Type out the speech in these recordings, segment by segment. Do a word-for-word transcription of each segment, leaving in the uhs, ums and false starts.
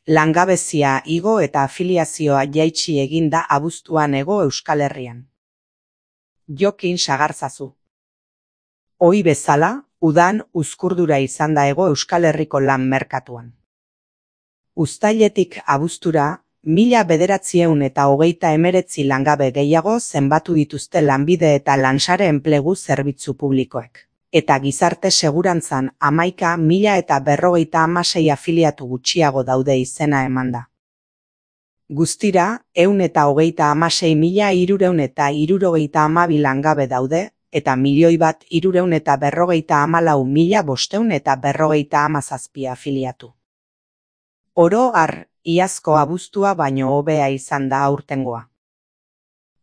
Langabezia igo eta afiliazioa jaitsi egin da abuztuan Hego Euskal Herrian. Jokin sagartzazu. Ohi bezala, udan uzkurdura izan da Hego Euskal Herriko lan merkatuan. Uztailetik abuztura, mila bederatziehun eta hogeita hemeretzi langabe gehiago zenbatu dituzte lanbide eta lansare enplegu zerbitzu publikoek. Eta gizarte segurantzan hamaika mila eta berrogeita hamasei afiliatu gutxiago daude izena emanda. Guztira, ehun eta hogeita hamasei mila hirurehun eta hirurogeita hamabi langabe daude, eta milioi bat hirurehun eta berrogeita hamalau mila bostehun eta berrogeita hamazazpi afiliatu. Oro har, iazko abuztua baino hobea izan da aurtengoa.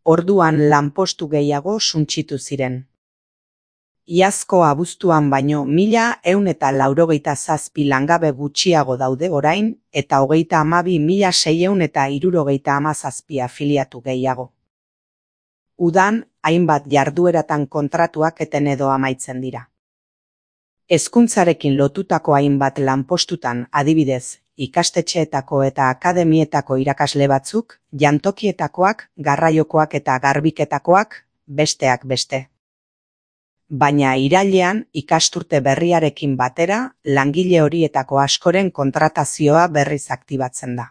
Orduan lanpostu gehiago suntsitu ziren. Iazko abuztuan baino mila ehun eta laurogeita zazpi langabe gutxiago daude orain eta hogeita hamabi mila seiehun eta hirurogeita hamazazpi afiliatu gehiago. Udan, hainbat jardueratan kontratuak eten edo amaitzen dira. Hezkuntzarekin lotutako hainbat lanpostutan adibidez, ikastetxeetako eta akademietako irakasle batzuk, jantokietakoak, garraiokoak eta garbiketakoak, besteak beste. Baina irailean ikasturte berriarekin batera, langile horietako askoren kontratazioa berriz aktibatzen da.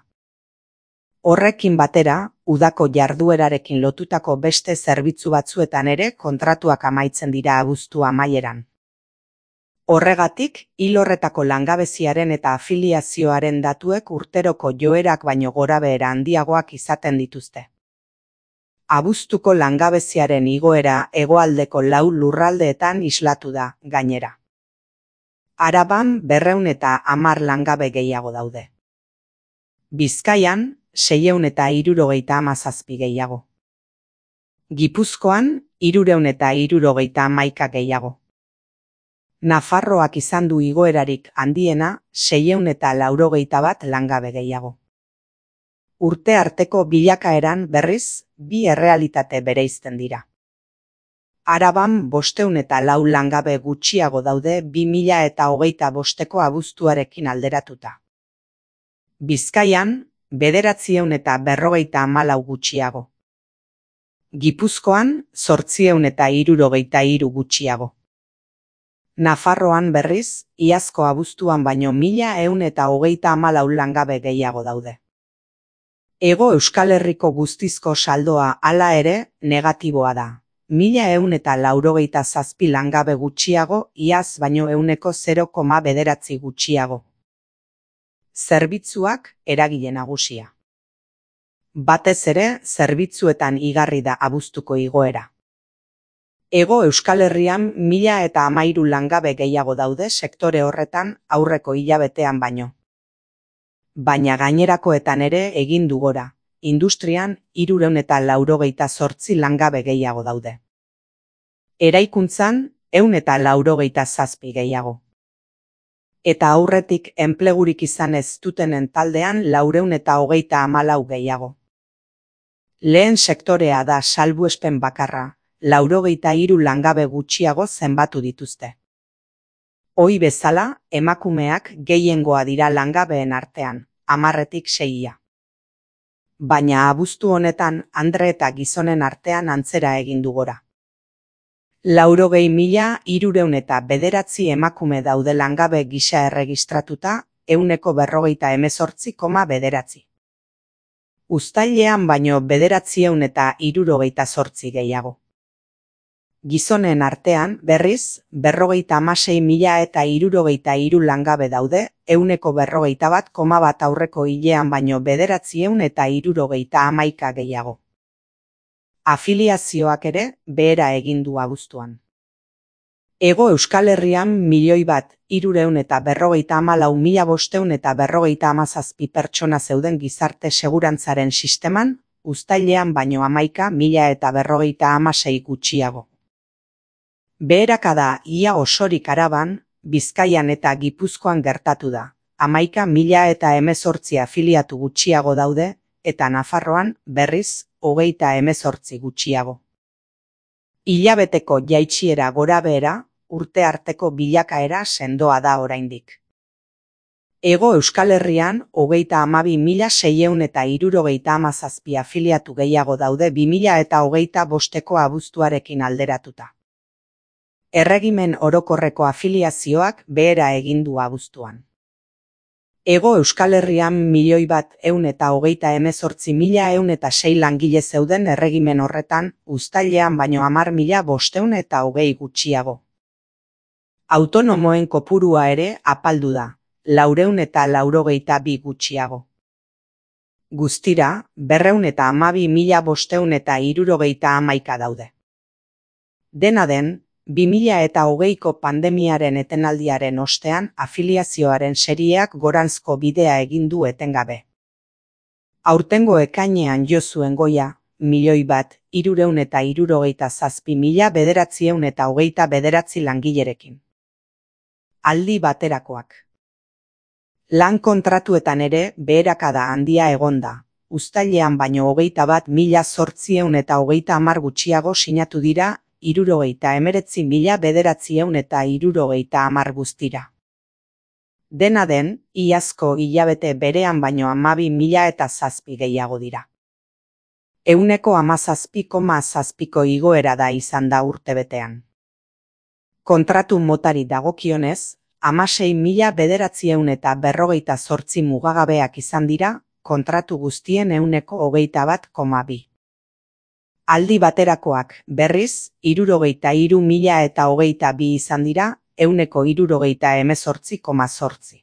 Horrekin batera, udako jarduerarekin lotutako beste zerbitzu batzuetan ere kontratuak amaitzen dira abuztu amaieran. Horregatik, hil horretako langabeziaren eta afiliazioaren datuek urteroko joerak baino gorabehera handiagoak izaten dituzte. Abuztuko langabeziaren igoera hegoaldeko lau lurraldeetan islatu da, gainera. Araban berrehun eta hamar langabe gehiago daude. Bizkaian, seiehun eta hirurogeita hamazazpi gehiago. Gipuzkoan, hirurehun eta hirurogeita hamaika gehiago. Nafarroak izan du igoerarik handiena, seiehun eta laurogeita bat langabe gehiago. Urte arteko bilakaeran berriz, bi errealitate bereizten dira. Araban bostehun eta lau langabe gutxiago daude bi mila eta hogeita bosteko abuztuarekin alderatuta. Bizkaian, bederatziehun eta berrogeita hamalau gutxiago. Gipuzkoan, zortziehun eta hirurogeita hiru gutxiago. Nafarroan berriz, iazko abuztuan baino mila ehun eta hogeita hamalau langabe gehiago daude. Hego Euskal Herriko guztizko saldoa hala ere negatiboa da. Mila ehun eta laurogeita zazpi langabe gutxiago, iaz baino ehuneko zero koma bederatzi gutxiago. Zerbitzuak eragile nagusia. Batez ere, zerbitzuetan igarri da abuztuko igoera. Hego Euskal Herrian mila eta hamairu langabe gehiago daude sektore horretan aurreko hilabetean baino. Baina gainerakoetan ere egin du gora, industrian hirurehun eta laurogeita zortzi langabe gehiago daude. Eraikuntzan ehun eta laurogeita zazpi gehiago. Eta aurretik enplegurik izan ez dutenen taldean laurehun eta hogeita hamalau gehiago. Lehen sektorea da salbuespen bakarra, laurogeita hiru langabe gutxiago zenbatu dituzte. Ohi bezala, emakumeak gehiengoa dira langabeen artean, hamarretik seia. Baina abuztu honetan andre eta gizonen artean antzera egin du gora. Laurogei mila hirurehun eta bederatzi emakume daude langabe gisa erregistratuta, ehuneko berrogeita hemezortzi koma bederatzi. Uztailean baino bederatziehun eta hirurogeita zortzi gehiago. Gizonen artean, berriz, berrogeita hamasei mila eta hirurogeita hiru langabe daude, ehuneko berrogeita bat koma bat aurreko hilean baino bederatziehun eta hirurogeita hamaika gehiago. Afiliazioak ere behera egin du abuztuan. Hego Euskal Herrian milioi bat hirurehun eta berrogeita hamalau mila bostehun eta berrogeita hamazazpi pertsona zeuden gizarte segurantzaren sisteman, uztailean baino hamaika mila eta berrogeita hamasei gutxiago. Beherakada ia osorik Araban, Bizkaian eta Gipuzkoan gertatu da, hamaika mila eta hemezortzi afiliatu gutxiago daude, eta Nafarroan, berriz, hogeita hemezortzi gutxiago. Hilabeteko jaitsiera gorabehera, urte arteko bilakaera sendoa da oraindik. Hego Euskal Herrian, hogeita hamabi mila seiehun eta hirurogeita hamazazpi afiliatu gehiago daude bi mila eta hogeita bosteko abuztuarekin alderatuta. Erregimen orokorreko afiliazioak behera egin du abuztuan. Hego Euskal Herrian milioi bat ehun eta hogeita hemezortzi mila ehun eta sei langile zeuden erregimen horretan, uztailean baino hamar mila bostehun eta hogei gutxiago. Autonomoen kopurua ere apaldu da, laurehun eta laurogeita bi gutxiago. Guztira, berrehun eta hamabi mila bostehun eta hirurogeita hamaika daude. Dena den, bi mila eta hogeiko pandemiaren etenaldiaren ostean afiliazioaren serieak goranzko bidea egin du etengabe. Aurtengo ekainean jo zuen goia, milioi bat hirurehun eta hirurogeita zazpi mila bederatziehun eta hogeita bederatzi langilerekin. Aldi baterakoak. Lan kontratuetan ere beherakada handia egonda, uztailean baino hogeita bat mila zortziehun eta hogeita hamar gutxiago sinatu dira, hirurogeita hemeretzi mila bederatziehun eta hirurogeita hamar guztira. Dena den, iazko hilabete berean baino hamabi mila eta zazpi gehiago dira. Ehuneko hamazazpi koma zazpiko igoera da izan da urtebetean. Kontratu motari dagokionez, hamasei mila bederatziehun eta berrogeita zortzi mugagabeak izan dira, kontratu guztien ehuneko hogeita bat koma bi. Aldi baterakoak, berriz, hirurogeita hiru mila eta hogeita bi izan dira, ehuneko hirurogeita hemezortzi koma zortzi.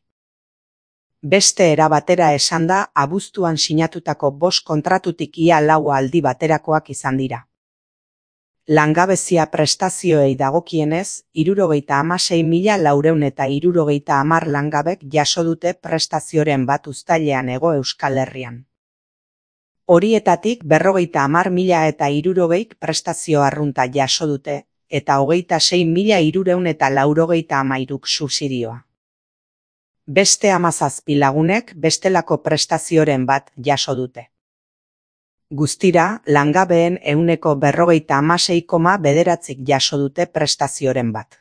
Beste era batera esanda, abuztuan sinatutako bost kontratutik ia lau aldi baterakoak izan dira. Langabezia prestazioei dagokienez, hirurogeita hamasei mila laurehun eta hirurogeita hamar langabek jaso dute prestazioren bat uztailean Hego Euskal Herrian. Horietatik berrogeita hamar mila eta hirurogeik prestazio arrunta jaso dute, eta hogeita sei mila hirurehun eta laurogeita hamairuk subsidioa. Beste hamazazpi lagunek bestelako prestazioren bat jaso dute. Guztira, langabeen ehuneko berrogeita hamasei koma bederatzik jaso dute prestazioren bat.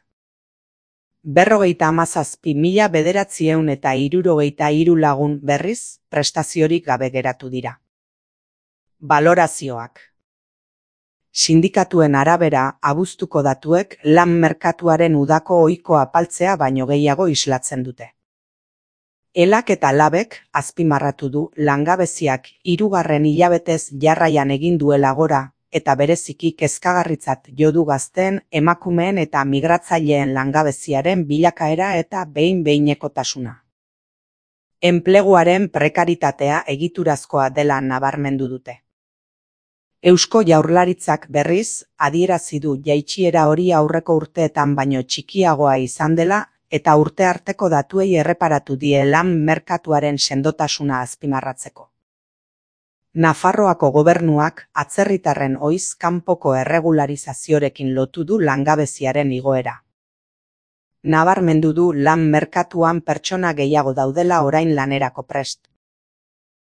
Berrogeita hamazazpi mila bederatziehun eta hirurogeita hiru lagun berriz prestaziorik gabe geratu dira. Balorazioak. Sindikatuen arabera, abuztuko datuek lan merkatuaren udako ohiko apaltzea baino gehiago islatzen dute. Elak eta labek azpimarratu du langabeziak hirugarren hilabetez jarraian egin duela gora, eta bereziki kezkagarritzat jo du gazteen, emakumeen eta migratzaileen langabeziaren bilakaera eta behin-behinekotasuna. Enpleguaren prekaritatea egiturazkoa dela nabarmendu dute. Eusko Jaurlaritzak berriz, adierazi du jaitsiera hori aurreko urteetan baino txikiagoa izan dela, eta urte arteko datuei erreparatu die lan merkatuaren sendotasuna azpimarratzeko. Nafarroako gobernuak atzerritarren ohiz kanpoko erregularizaziorekin lotu du langabeziaren igoera. Nabarmendu du lan merkatuan pertsona gehiago daudela orain lanerako prest.